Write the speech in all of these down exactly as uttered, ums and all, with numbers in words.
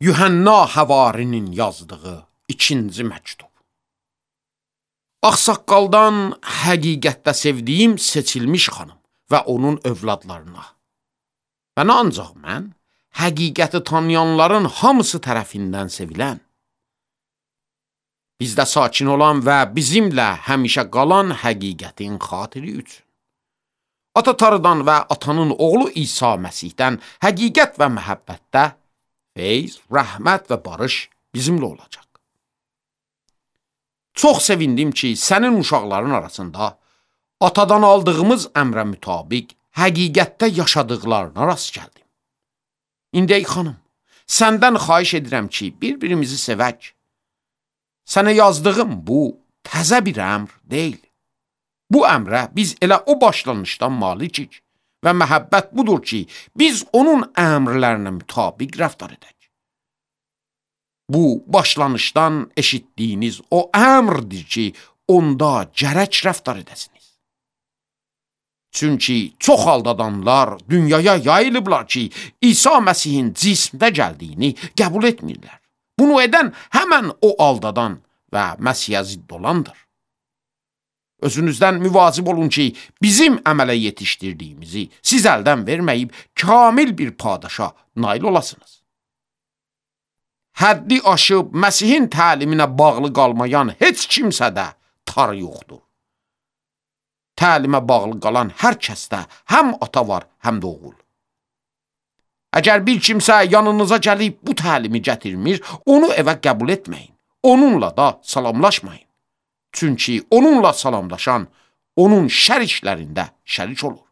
Yuhanna Həvarinin yazdığı ikinci məktub. Ağsaqqaldan həqiqətdə sevdiyim seçilmiş xanım və onun övladlarına. Və nə ancaq mən, həqiqəti tanıyanların hamısı tərəfindən sevilən, bizdə sakin olan və bizimlə həmişə qalan həqiqətin xatiri üçün. Ata Tanrıdan və atanın oğlu İsa Məsihdən həqiqət və məhəbbətdə feyz, rəhmət və barış bizimlə olacaq. Çox sevindim ki, sənin uşaqların arasında atadan aldığımız əmrə mütabiq həqiqətdə yaşadıqlarına rast gəldim. İndi ey xanım, səndən xahiş edirəm ki, bir-birimizi sevək. Sənə yazdığım bu təzə bir əmr deyil. Bu əmrə biz elə o başlanışdan malikik və məhəbbət budur ki, biz onun əmrlərinə mütabiq rəftar edək. Bu başlanışdan eşitdiyiniz o əmrdir ki, onda gərək rəftar edəsiniz. Çünki çox aldadanlar dünyaya yayılıblar ki, İsa Məsihin cismdə gəldiyini qəbul etmirlər. Bunu edən həmən o aldadan və Məsihə zidd olandır. Özünüzdən müvazib olun ki, bizim əmələ yetişdirdiyimizi siz əldən verməyib, kamil bir padişa nail olasınız. Həddi aşıb Məsihin təliminə bağlı qalmayan heç kimsədə tar yoxdur. Təlimə bağlı qalan hər kəsdə həm ata var, həm də oğul. Əgər bir kimsə yanınıza gəlib bu təlimi gətirmir, onu evə qəbul etməyin. Onunla da salamlaşmayın. Çünki onunla salamlaşan, onun şər işlərində şərik olur.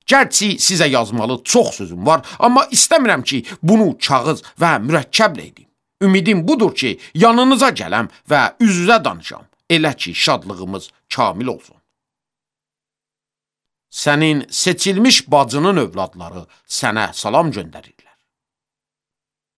Gərçi sizə yazmalı çox sözüm var, amma istəmirəm ki, bunu kağız və mürəkkəblə edim. Ümidim budur ki, yanınıza gələm və üz-üzə danışam, elə ki, şadlığımız kamil olsun. Sənin seçilmiş bacının övladları sənə salam göndərirlər.